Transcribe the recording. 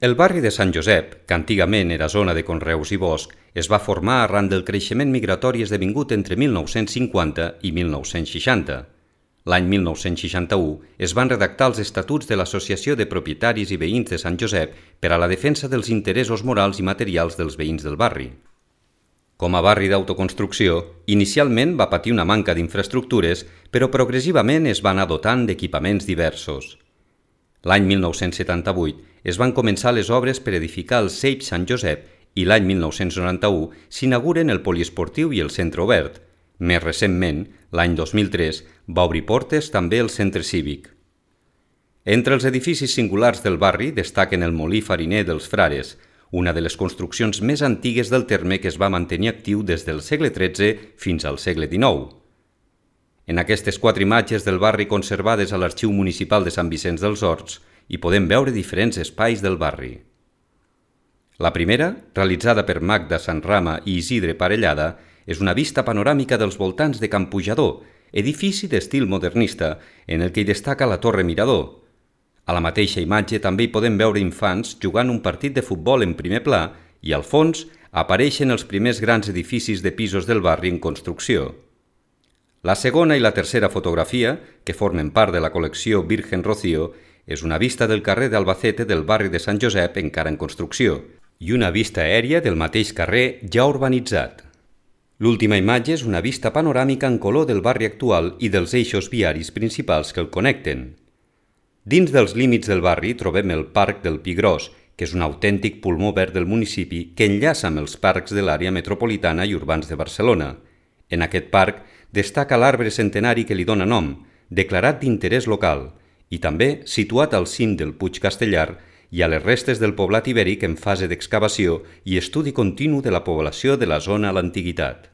El barri de Sant Josep, que antigament era zona de conreus i bosc, es va formar arran del creixement migratori esdevingut entre 1950 i 1960. L'any 1961 es van redactar els estatuts de l'Associació de Propietaris i Veïns de Sant Josep per a la defensa dels interessos morals i materials dels veïns del barri. Com a barri d'autoconstrucció, inicialment va patir una manca d'infraestructures, però progressivament es va anar dotant d'equipaments diversos. L'any 1978 es van començar les obres per edificar el Ceip Sant Josep i l'any 1991 s'inauguren el poliesportiu i el centre obert. Més recentment, l'any 2003, va obrir portes també el centre cívic. Entre els edificis singulars del barri destaquen el molí fariner dels Frares, una de les construccions més antigues del terme que es va mantenir actiu des del segle XIII fins al segle XIX. En aquestes 4 imatges del barri conservades a l'Arxiu Municipal de Sant Vicenç dels Horts hi podem veure diferents espais del barri. La primera, realitzada per Magda Sanrama i Isidre Parellada, és una vista panoràmica dels voltants de Can Pujador, edifici d'estil modernista, en el que hi destaca la Torre Mirador. A la mateixa imatge també hi podem veure infants jugant un partit de futbol en primer pla i al fons apareixen els primers grans edificis de pisos del barri en construcció. La segona i la tercera fotografia, que formen part de la col·lecció Virgen Rocío, és una vista del carrer d'Albacete del barri de Sant Josep encara en construcció i una vista aèria del mateix carrer ja urbanitzat. L'última imatge és una vista panoràmica en color del barri actual i dels eixos viaris principals que el connecten. Dins dels límits del barri trobem el Parc del Pi Gros, que és un autèntic pulmó verd del municipi que enllaça amb els parcs de l'àrea metropolitana i urbans de Barcelona. En aquest parc destaca l'arbre centenari que li dóna nom, declarat d'interès local, i també situat al cim del Puig Castellar i a les restes del poblat ibèric en fase d'excavació i estudi continu de la població de la zona a l'antiguitat.